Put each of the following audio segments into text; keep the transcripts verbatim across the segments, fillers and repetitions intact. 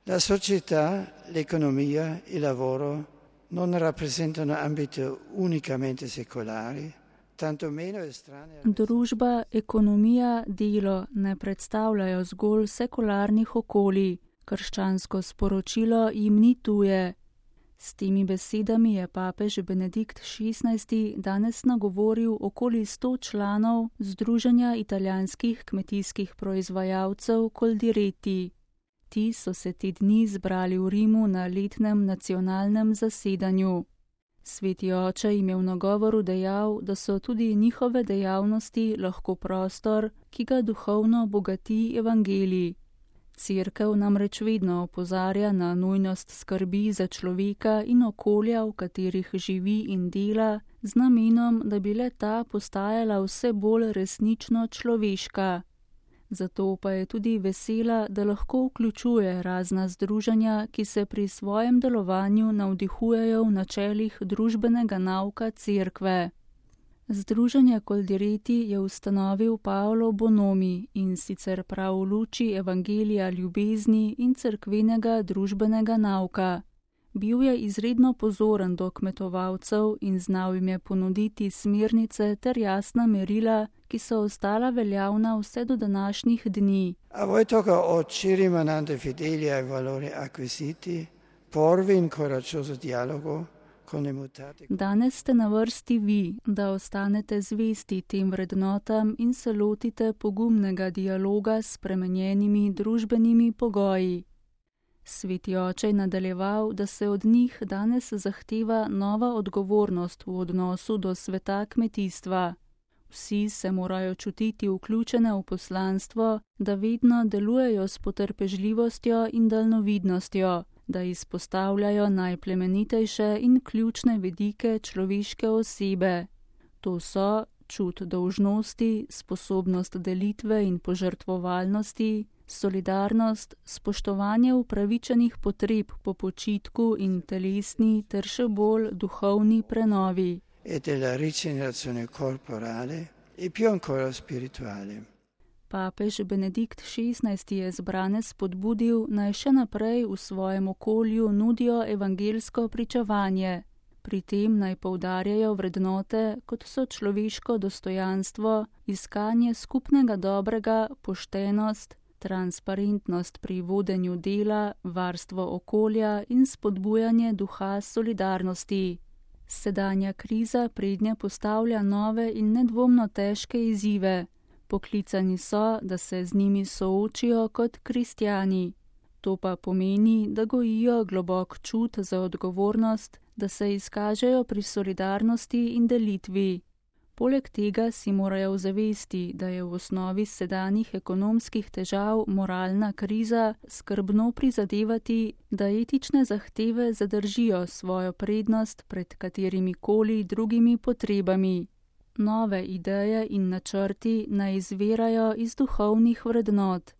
La società, l'economia, il lavoro non rappresentano ambiti unicamente secolari, tanto meno estranei. Družba, ekonomija, delo ne predstavljajo zgolj sekularnih okolij, krščansko sporočilo jim ni tuje. S temi besedami je papež Benedikt šestnajsti danes nagovoril okoli sto članov Združenja italijanskih kmetijskih proizvajalcev Coldiretti. Ti so se te dni zbrali v Rimu na letnem nacionalnem zasedanju. Sveti oče jim je v nagovoru dejal, da so tudi njihove dejavnosti lahko prostor, ki ga duhovno bogati evangelij. Cerkev namreč vedno opozarja na nujnost skrbi za človeka in okolja, v katerih živi in dela, z namenom, da bi le ta postajala vse bolj resnično človeška. Zato pa je tudi vesela, da lahko vključuje razna združenja, ki se pri svojem delovanju navdihujejo v načelih družbenega nauka cerkve. Združenje Coldiretti je ustanovil Paolo Bonomi in sicer prav v luči evangelija ljubezni in cerkvenega družbenega nauka. Bil je izredno pozoren do kmetovalcev in znal jim je ponuditi smernice ter jasna merila, ki so ostala veljavna vse do današnjih dni. A voi tocca oggi, rimanendo fedeli ai valori acquisiti, porvi in coraggioso dialogo. Danes ste na vrsti vi, da ostanete zvesti tem vrednotam in se lotite pogumnega dialoga s spremenjenimi družbenimi pogoji. Sveti oče je nadaljeval, da se od njih danes zahteva nova odgovornost v odnosu do sveta kmetijstva. Vsi se morajo čutiti vključene v poslanstvo, da vedno delujejo s potrpežljivostjo in daljnovidnostjo, da izpostavljajo najplemenitejše in ključne vidike človeške osebe. To so čut dolžnosti, sposobnost delitve in požrtvovalnosti, solidarnost, spoštovanje upravičenih potreb po počitku in telesni ter še bolj duhovni prenovi. E della rigenerazione corporale e più ancora spirituale. Papež Benedikt šestnajsti je zbrane spodbudil, naj še naprej v svojem okolju nudijo evangelsko pričevanje. Pri tem naj poudarjajo vrednote, kot so človeško dostojanstvo, iskanje skupnega dobrega, poštenost, transparentnost pri vodenju dela, varstvo okolja in spodbujanje duha solidarnosti. Sedanja kriza prednje postavlja nove in nedvomno težke izzive. Poklicani so, da se z njimi soočijo kot kristjani. To pa pomeni, da gojijo globok čut za odgovornost, da se izkažejo pri solidarnosti in delitvi. Poleg tega si morajo zavesti, da je v osnovi sedanjih ekonomskih težav moralna kriza, skrbno prizadevati, da etične zahteve zadržijo svojo prednost pred katerimi koli drugimi potrebami. Nove ideje in načrti naj izvirajo iz duhovnih vrednot.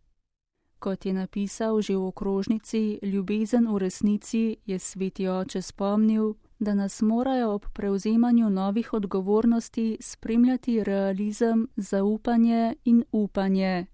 Kot je napisal že v okrožnici Ljubezen v resnici, je sveti oče spomnil, da nas morajo ob prevzemanju novih odgovornosti spremljati realizem, zaupanje in upanje.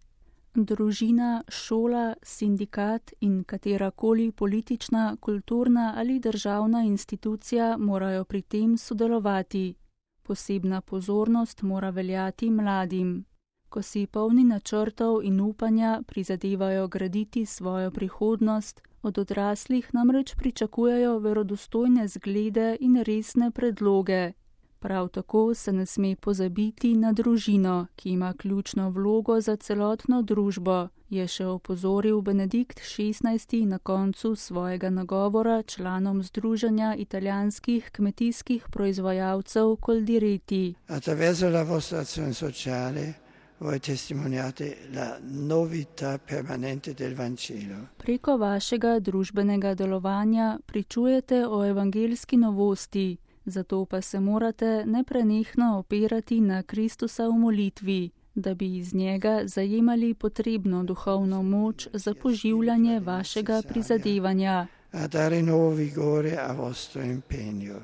Družina, šola, sindikat in katerakoli politična, kulturna ali državna institucija morajo pri tem sodelovati. Posebna pozornost mora veljati mladim. Ko si polni načrtov in upanja prizadevajo graditi svojo prihodnost, od odraslih namreč pričakujejo verodostojne zglede in resne predloge. Prav tako se ne sme pozabiti na družino, ki ima ključno vlogo za celotno družbo, je še opozoril Benedikt šestnajsti na koncu svojega nagovora članom Združenja italijanskih kmetijskih proizvajalcev Coldiretti. Attraverso la vostra azione sociale voi testimoniate la novità permanente del Vangelo. Preko vašega družbenega delovanja pričujete o evangelski novosti, zato pa se morate neprenehno opirati na Kristusa v molitvi, da bi iz njega zajemali potrebno duhovno moč za poživljanje vašega prizadevanja. A dare nuovo vigore a vostro impegno.